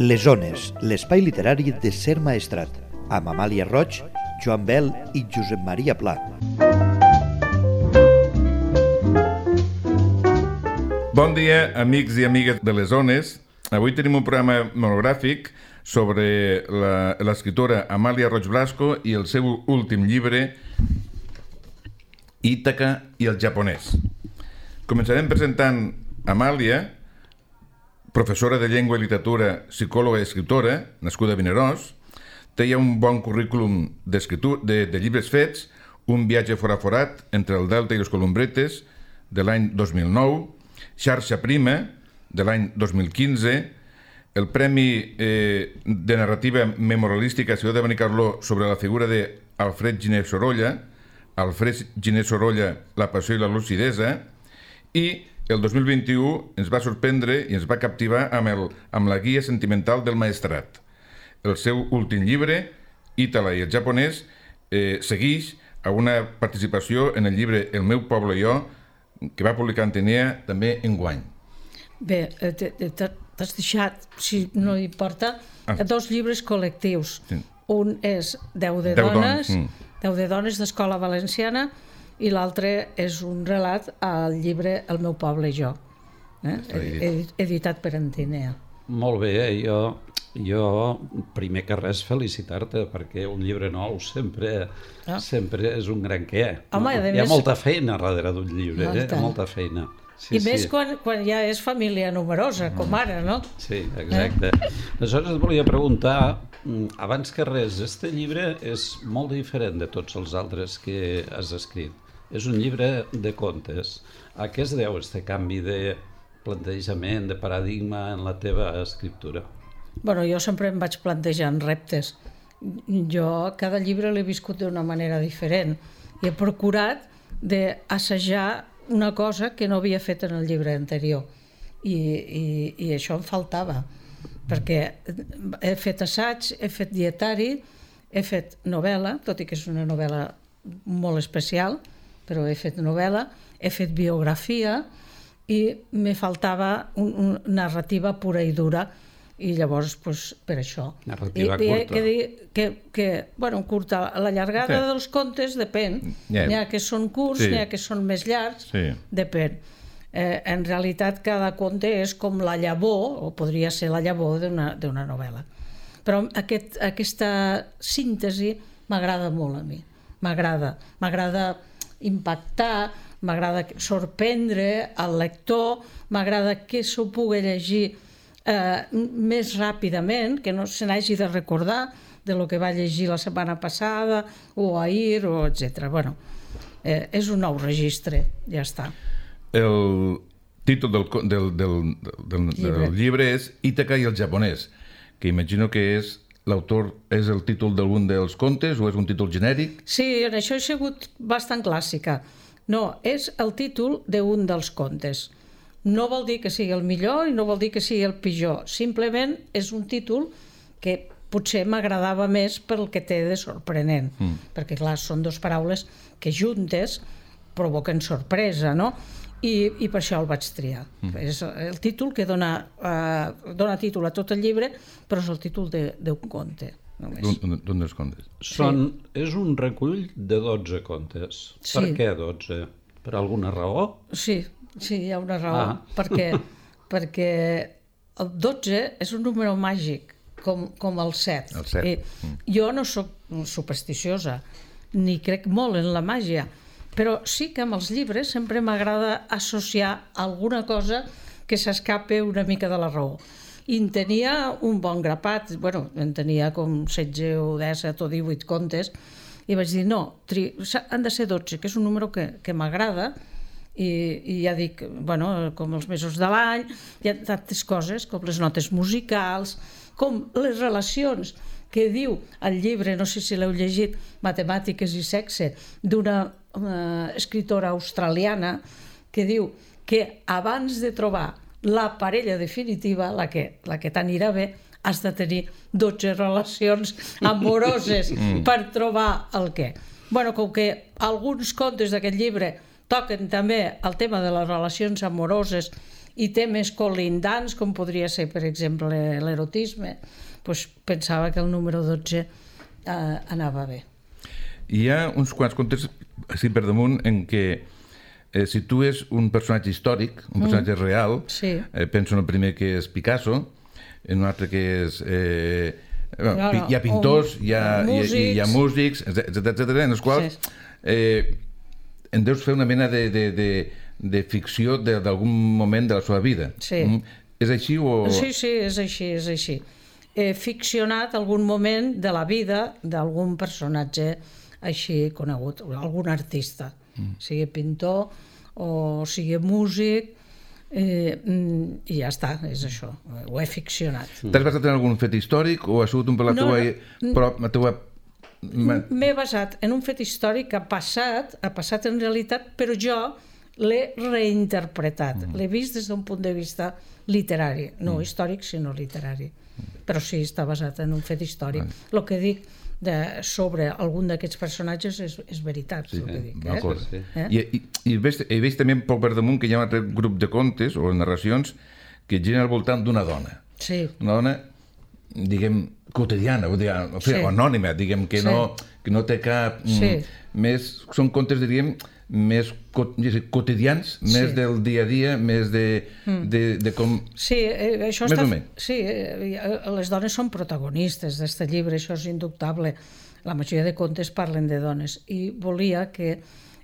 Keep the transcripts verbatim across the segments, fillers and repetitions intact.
Les Ones, l'espai literari de Ser Maestrat, amb Amàlia Roig, Joan Bel i Josep Maria Pla. Bon dia, amics i amigues de les Ones. Avui tenim un programa monogràfic sobre l'escriptora Amàlia Roig Blasco i el seu últim llibre, Ítaca i el japonès. Començarem presentant Amàlia, professora de llengua i literatura, psicòloga i escriptora, nascuda a Vinaròs. Té ja un bon currículum de, de llibres fets, Un viatge foraforat entre el Delta i les Columbretes, de l'any dos mil nou, Xarxa Prima, de l'any dos mil quinze, el Premi eh, de Narrativa Memorialística Ciutat de Benicarló sobre la figura d'Alfred Giner Sorolla, Alfred Giner Sorolla, La passió i la lucidesa, i el dos mil vint-i-u ens va sorprendre i ens va captivar amb, el, amb la guia sentimental del maestrat. El seu últim llibre, Ítaca i el japonès, eh, segueix a una participació en el llibre El meu poble i jo, que va publicar Antenea també enguany. Bé, t'has deixat, si no importa, ah. dos llibres col·lectius. Sí. Un és Deu de Deu dones, don. mm. Deu de dones d'Escola Valenciana, i l'altre és un relat al llibre El meu poble i jo, eh? editat per Antenea. Molt bé, eh? jo, jo primer que res felicitar-te, perquè un llibre nou sempre, ah. sempre és un gran què. Home, no? Hi ha més... molta feina darrere d'un llibre, eh? molta feina. Sí, I sí. més quan, quan ja és família numerosa, com ara, no? Sí, exacte. Eh? Aleshores et volia preguntar, abans que res, este llibre és molt diferent de tots els altres que has escrit. És un llibre de contes. A què es deu este canvi de plantejament, de paradigma en la teva escriptura? Bueno, jo sempre em vaig plantejant reptes. Jo cada llibre l'he viscut d'una manera diferent i he procurat d'assajar una cosa que no havia fet en el llibre anterior. I, i, i això em faltava, perquè he fet assaig, he fet dietari, he fet novel·la, tot i que és una novel·la molt especial, però he fet novel·la, he fet biografia i me faltava un, un, narrativa pura i dura, i llavors, pues, per això. Narrativa I, curta. Que dir que, que, bueno, curta, la llargada sí. dels contes depèn. Yeah. N'hi ha que són curts, sí. n'hi ha que són més llargs, sí. depèn. Eh, en realitat, cada conte és com la llavor, o podria ser la llavor d'una, d'una novel·la. Però aquest, aquesta síntesi m'agrada molt a mi. M'agrada. M'agrada impactar, m'agrada sorprendre el lector, m'agrada que s'ho pugui llegir eh, més ràpidament, que no se n'hagi de recordar de lo que va llegir la setmana passada o ahir, o etcètera. Bueno, eh, és un nou registre, ja està. El títol del, del, del, del, llibre. del llibre és Ítaca i el japonès, que imagino que és l'autor és el títol d'algun dels contes o és un títol genèric? Sí, en això he sigut bastant clàssica. No, és el títol d'un dels contes. No vol dir que sigui el millor i no vol dir que sigui el pitjor. Simplement és un títol que potser m'agradava més pel que té de sorprenent. Mm. Perquè, clar, són dues paraules que juntes provoquen sorpresa, no? I, i per això el vaig triar. Mm. És el títol que dona, uh, dona títol a tot el llibre, però és el títol d'un conte. D'un dels contes. Són, sí. És un recull de dotze contes. Sí. Per què dotze? Per alguna raó? Sí, sí, hi ha una raó. Ah. Perquè, perquè el dotze és un número màgic, com, com el set. El set. I mm. Jo no soc supersticiosa, ni crec molt en la màgia, però sí que amb els llibres sempre m'agrada associar alguna cosa que s'escape una mica de la raó. I en tenia un bon grapat, bueno, en tenia com setze o disset o divuit contes, i vaig dir, no, tri... han de ser dotze, que és un número que, que m'agrada, i, i ja dic, bueno, com els mesos de l'any, hi ha tantes coses, com les notes musicals, com les relacions que diu el llibre, no sé si l'heu llegit, Matemàtiques i sexe, d'una una escritora australiana que diu que abans de trobar la parella definitiva, la que, la que t'anirà bé, has de tenir dotze relacions amoroses per trobar el què. Bueno, com que alguns contes d'aquest llibre toquen també el tema de les relacions amoroses i temes col·lindants, com podria ser, per exemple, l'erotisme, doncs pensava que el número dotze eh, anava bé. Hi ha uns quants contes, així per damunt, en què eh, situes un personatge històric, un personatge mm. real, sí. eh, penso en el primer que és Picasso, en un altre que és... Eh, bueno, no, no, hi ha pintors, un, hi, ha, músics. Hi, hi ha músics, etcètera, etcètera, en els quals sí. eh, en deus fer una mena de, de, de, de ficció d'algun moment de la seva vida. Sí. Mm? És així o...? Sí, sí, és així, és així. He ficcionat algun moment de la vida d'algun personatge així conegut, algun artista, mm. sigui pintor o sigui músic, eh, i ja està, és això, ho he ficcionat. T'has basat en algun fet històric o ha sigut un per la teua... No, no, la teua... M'he basat en un fet històric que ha passat, ha passat en realitat, però jo l'he reinterpretat, mm. l'he vist des d'un punt de vista literari, no mm. històric, sinó literari. Però sí, està basat en un fet històric. Mm. El que dic de, sobre algun d'aquests personatges és, és veritat, sí, el que dic. Eh? Sí. Eh? I, i, i veig, he vist també poc per damunt que hi ha un altre grup de contes o narracions que giren al voltant d'una dona. Sí. Una dona, diguem, quotidiana, o, diguem, o, sí. o anònima, diguem, que, sí. no, que no té cap... Sí. Mm, més, són contes, diríem, més quotidians, sí. més del dia a dia, més de, mm. de, de com... Sí, eh, això està... Sí, eh, les dones són protagonistes d'aquest llibre, això és indubtable. La majoria de contes parlen de dones i volia que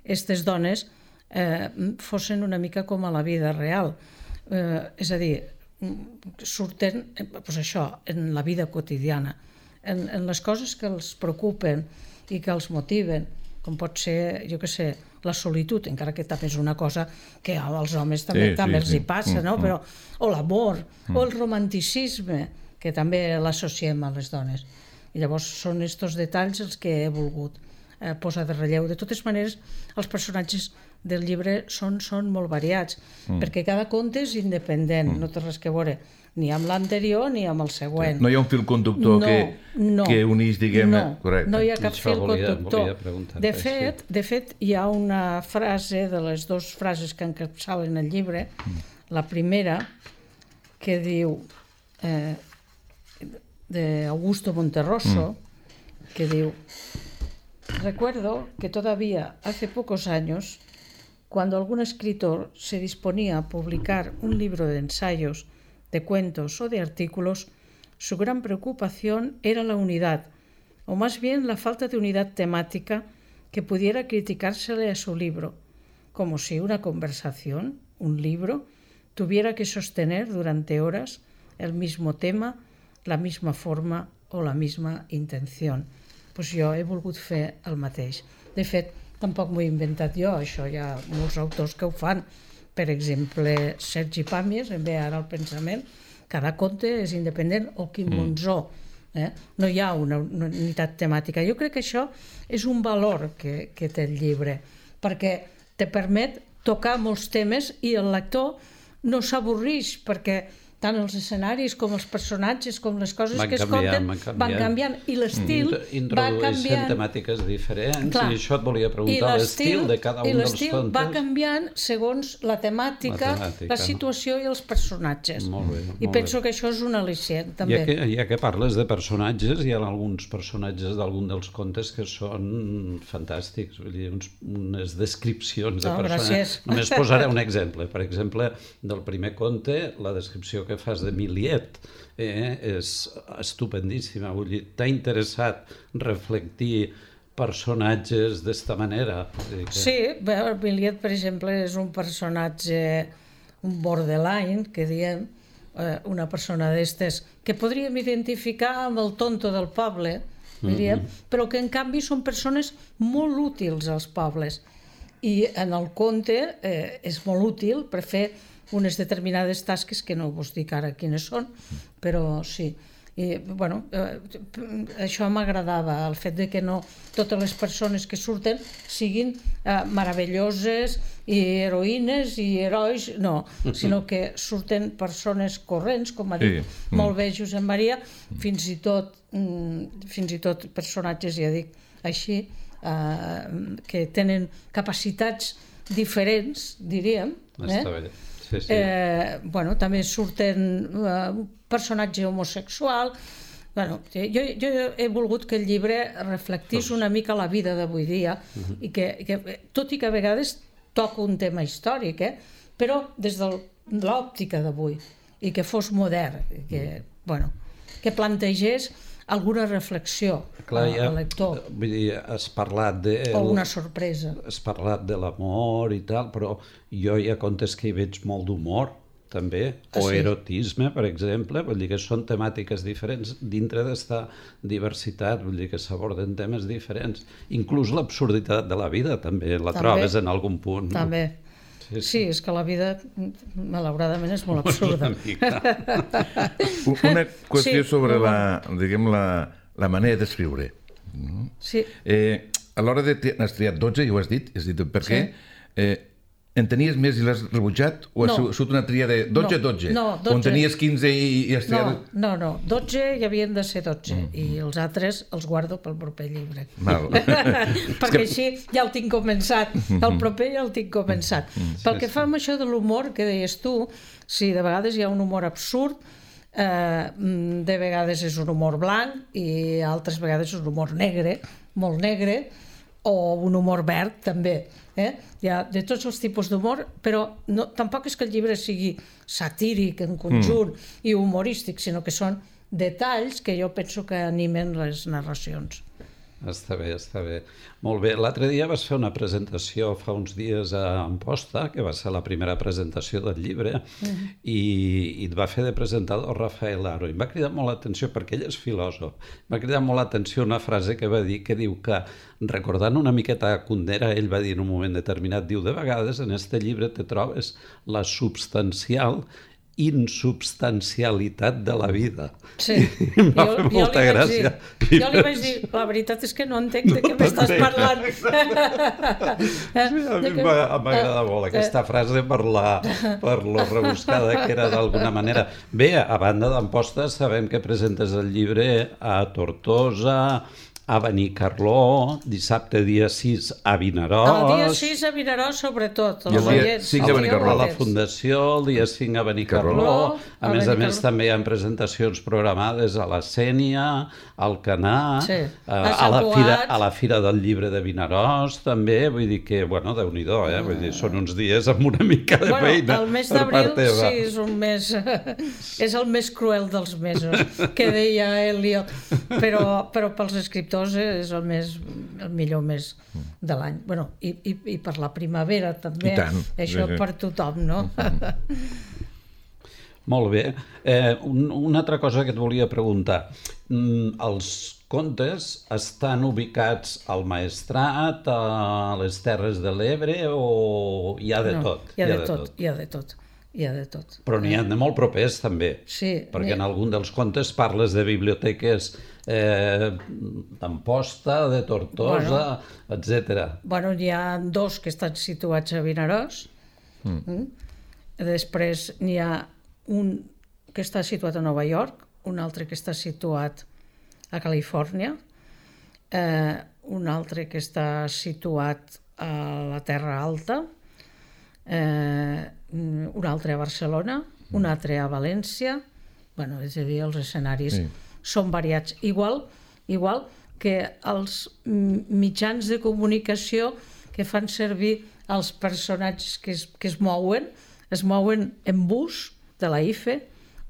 aquestes dones eh, fossin una mica com a la vida real. Eh, és a dir, surten pues això, en la vida quotidiana, en, en les coses que els preocupen i que els motiven, com pot ser, jo què sé, la solitud, encara que també és una cosa que als homes també, sí, també sí, els hi passa, sí. no? Però, o l'amor, mm. o el romanticisme, que també l'associem a les dones. I llavors són aquests detalls els que he volgut eh, posar de relleu. De totes maneres, els personatges del llibre són, són molt variats, mm. perquè cada conte és independent, mm. no té res que veure ni amb l'anterior ni amb el següent. No hi ha un fil conductor no, que, no, que unís, diguem... No, correcte. No hi ha cap fil volia, conductor. Volia de, fet, de fet, hi ha una frase, de les dues frases que encapçalen el llibre, mm. la primera, que diu, eh, de Augusto Monterroso, mm. que diu: recuerdo que todavía hace pocos años, cuando algún escritor se disponía a publicar un libro de ensayos, de cuentos o de artículos, su gran preocupación era la unidad, o más bien la falta de unidad temática que pudiera criticársele a su libro, como si una conversación, un libro, tuviera que sostener durante horas el mismo tema, la misma forma o la misma intención. Pues jo he volgut fer el mateix. De fet, tampoc m'ho he inventat jo, això hi ha molts autors que ho fan. Per exemple, Sergi Pàmies, em ve ara al pensament, cada conte és independent, o Quim mm. Monzó. Eh? No hi ha una, una unitat temàtica. Jo crec que això és un valor que, que té el llibre, perquè te permet tocar molts temes i el lector no s'avorrix, perquè tant els escenaris com els personatges, com les coses van que es canviant, conten, van, van canviant, i l'estil mm. va canviant. Introdueixen temàtiques diferents. Clar. I això et volia preguntar, l'estil de cada un dels contes. I l'estil va canviant segons la temàtica, la, temàtica, la situació i els personatges. Molt bé, I molt penso bé. que això és un al·licient, també. Ja que, ja que parles de personatges, hi ha alguns personatges d'algun dels contes que són fantàstics, vull dir, uns, unes descripcions de no, personatges. Gràcies. Només posaré un exemple. Per exemple, del primer conte, la descripció que que fas de Miliet eh, és estupendíssima. Vull dir, t'ha interessat reflectir personatges d'esta manera? Que... Sí, bé, Miliet, per exemple, és un personatge, un borderline, que diem, eh, una persona d'estes, que podríem identificar amb el tonto del poble, diríem, mm-hmm. però que en canvi són persones molt útils als pobles. I en el conte eh, és molt útil per fer unes determinades tasques que no vos dic ara quines són, però sí. I, bueno, eh, això m'agradava, el fet de que no totes les persones que surten siguin eh, meravelloses i heroïnes i herois, no, sinó que surten persones corrents, com ha dit sí. molt bé Josep Maria, fins i tot, mm, fins i tot personatges, ja dic, així, eh, que tenen capacitats diferents, diríem, eh? Està bé. Sí. Sí, sí. Eh, bueno, també surten eh, un personatge homosexual. Bueno, jo, jo he volgut que el llibre reflectís una mica la vida d'avui dia uh-huh. i que, que, tot i que a vegades toca un tema històric, eh? Però des de l'òptica d'avui, i que fos modern, que, bueno, que plantegés alguna reflexió Clar, ja, al lector. Vull dir, has parlat de... O una sorpresa. Has parlat de l'amor i tal, però jo hi ha contes que hi veig molt d'humor, també, o ah, sí? erotisme, per exemple, vull dir que són temàtiques diferents dintre d'esta diversitat, vull dir que s'aborden temes diferents. Inclús l'absurditat de la vida, també, la també, trobes en algun punt. També. No? Sí, sí. sí, és que la vida, malauradament, és molt absurda. Una qüestió sí, sobre la, diguem, la, la manera d'escriure. Sí. Eh, a l'hora de... N'has triat dotze, i ho has dit, has dit per què? Sí. Eh, en tenies més i l'has rebutjat? O no. Ha sigut una tria de dotze, dotze? No, dotze. O en tenies quinze i, i has triat... No, no, no, dotze hi havien de ser dotze, mm. i els altres els guardo pel proper llibre. Val. Perquè així ja el tinc començat, el proper ja el tinc començat. Mm. Pel que fa amb això de l'humor que deies tu, sí, de vegades hi ha un humor absurd, eh, de vegades és un humor blanc i altres vegades és un humor negre, molt negre, o un humor verd també. Eh? Hi ha de tots els tipus d'humor, però no, tampoc és que el llibre sigui satíric en conjunt mm. i humorístic, sinó que són detalls que jo penso que animen les narracions. Està bé, està bé. Molt bé. L'altre dia vas fer una presentació fa uns dies a Amposta, que va ser la primera presentació del llibre, uh-huh. i, i et va fer de presentador Rafael Aro. I em va cridar molt l'atenció, perquè ell és filòsof, em va cridar molt l'atenció una frase que va dir, que diu que, recordant una miqueta a Kundera, ell va dir en un moment determinat, diu, de vegades en este llibre te trobes la substancial insubstancialitat de la vida. Sí. I em va jo, fer molta gràcia. Dir, jo li vaig dir, la veritat és que no entenc de què m'estàs parlant. Sí, a mi m'agrada molt aquesta frase per la, per lo rebuscada que era d'alguna manera. Bé, a banda d'Amposta sabem que presentes el llibre a Tortosa, a Benicarló, dissabte dia sis a Vinaròs. El dia sis a Vinaròs, sobretot. I el dia cinc a Benicarló. A la Fundació, el dia cinc a Benicarló. A més a més, també hi ha presentacions programades a la Sénia, al Canà, sí. a, a, la fira, a la Fira del Llibre de Vinaròs, també. Vull dir que, bueno, Déu-n'hi-do, eh? Vull dir, són uns dies amb una mica de bueno, feina. El mes d'abril, sí, és un mes... és el més cruel dels mesos, que deia Eliot. Però, però pels escriptors és el, més, el millor mes de l'any. Bueno, i, i, i per la primavera també, això per tothom, no? Molt bé. Eh, un, una altra cosa que et volia preguntar. Mm, els contes estan ubicats al Maestrat, a les Terres de l'Ebre, o hi ha de no, tot? Hi ha, hi ha de, de tot, tot, hi ha de tot. Hi ha de tot. Però n'hi ha de molt propers, també. Sí. Perquè en algun dels contes parles de biblioteques eh, d'Amposta, de Tortosa, bueno, etcètera. Bueno, n'hi ha dos que estan situats a Vinaròs. Mm. Mm. Després n'hi ha un que està situat a Nova York, un altre que està situat a Califòrnia, eh, un altre que està situat a la Terra Alta, eh, un altre a Barcelona, un altre a València. Bueno, és a dir, els escenaris sí. són variats. Igual, igual que els mitjans de comunicació que fan servir els personatges que es, que es mouen, es mouen en bus de la I F E,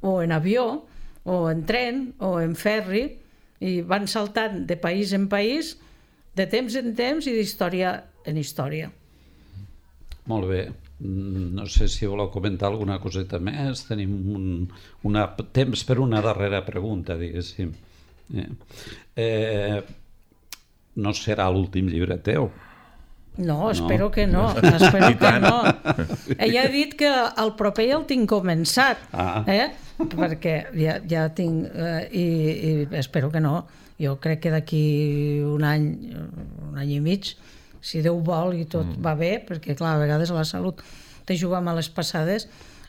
o en avió, o en tren, o en ferri, i van saltant de país en país, de temps en temps i d'història en història. Molt bé. No sé si voleu comentar alguna coseta més. Tenim un una, temps per una darrera pregunta, diguéssim. Eh, eh, no serà l'últim llibre teu? No, espero no. que no. Espero que no. Ella ha dit que el proper ja el tinc començat, ah. eh? perquè ja, ja tinc... Eh, i, I espero que no. Jo crec que d'aquí un any, un any i mig, si Déu vol i tot mm. va bé, perquè clar, a vegades la salut te juga a les passades,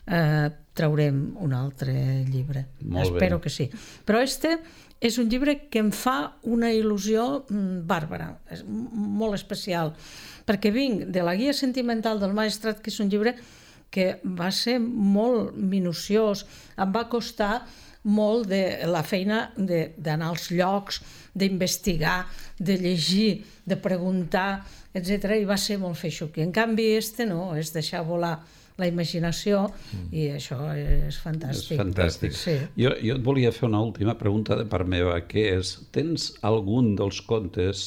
eh, traurem un altre llibre. Molt Espero bé. que sí. Però este és un llibre que em fa una il·lusió bàrbara, és molt especial, perquè vinc de la Guia Sentimental del Maestrat, que és un llibre que va ser molt minuciós, em va costar molt de la feina d'anar als llocs, d'investigar, de llegir, de preguntar, etcètera, i va ser molt feixuc. I en canvi este no, és deixar volar la imaginació i això és fantàstic. És fantàstic. Sí. Jo, jo et volia fer una última pregunta de part meva, que és, tens algun dels contes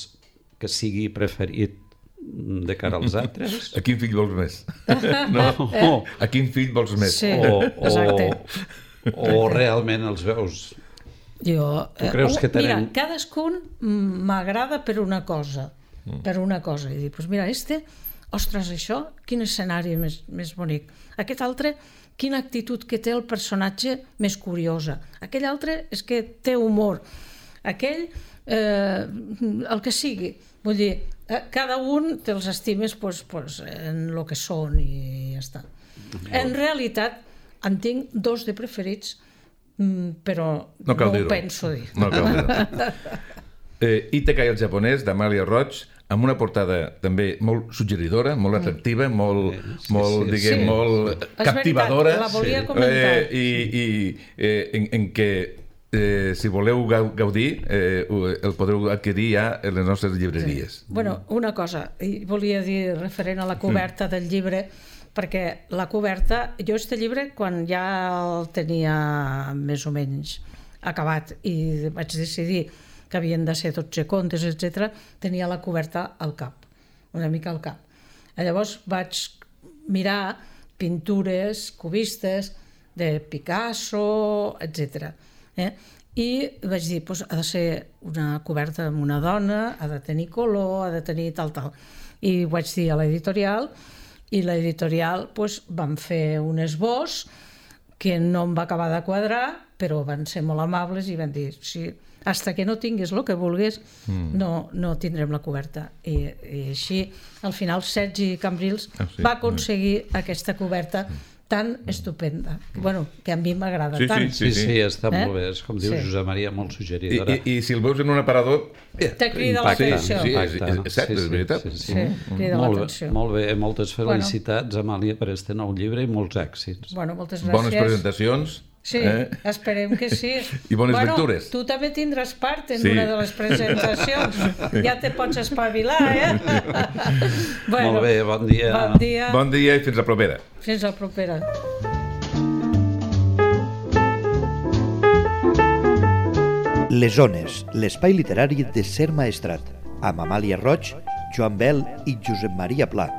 que sigui preferit de cara als altres? A quin fill vols més? No? A quin fill vols més? Sí, o, exacte. O, o realment els veus? Jo, Tu creus que tenen... Mira, cadascun m'agrada per una cosa, per una cosa. I dic, pues mira, este, ostres, això, quin escenari més, més bonic. Aquest altre, quina actitud que té el personatge més curiosa. Aquell altre és que té humor. Aquell, eh, el que sigui. Vull dir, cada un te'ls estimes pues, pues, en el que són i ja està. En realitat, en tinc dos de preferits, però no, no ho penso dir. No cal dir-ho. eh, Ítaca i el japonès, d'Amàlia Roig, amb una portada també molt suggeridora, molt atractiva, molt, sí, molt, sí, diguem, sí. molt És captivadora. veritat, la volia comentar. Eh, I i eh, en, en què, eh, si voleu gaudir, eh, el podreu adquirir ja en les nostres llibreries. Sí. Bueno, una cosa, volia dir referent a la coberta del llibre, perquè la coberta, jo este llibre quan ja el tenia més o menys acabat i vaig decidir que havien de ser dotze contes, etcètera, tenia la coberta al cap, una mica al cap. Llavors vaig mirar pintures cubistes de Picasso, etcètera. Eh? I vaig dir, doncs, ha de ser una coberta amb una dona, ha de tenir color, ha de tenir tal, tal. I ho vaig dir a l'editorial, i l'editorial doncs, van fer un esbós que no em va acabar de quadrar, però van ser molt amables i van dir, sí, hasta que no tinguis el que vulguis, mm. no, no tindrem la coberta. I, i així, al final, Sergi Cambrils ah, sí? va aconseguir mm. aquesta coberta tan estupenda, bueno, que a mi m'agrada sí, tant. Sí, sí, sí, sí, està eh? molt bé, és com diu sí. Josep Maria, molt suggeridora. I, i, i si el veus en un aparador... Eh, te crida l'atenció. Sí, sí, és, és, és cert, sí, sí, és veritat. Sí, sí, sí, crida molt l'atenció. Bé, molt bé, moltes felicitats, bueno. Amàlia, per este nou llibre i molts èxits. Bueno, moltes gràcies. Bones presentacions. Sí, eh? esperem que sí. I bones bueno, lectures. Tu també tindràs part en sí. una de les presentacions. Ja te pots espavilar, eh? bueno, molt bé, bon dia. Bon dia. Bon dia i fins la propera. Fins la propera. Les Ones, l'espai literari de Ser Maestrat, amb Amàlia Roig, Joan Bel i Josep Maria Pla.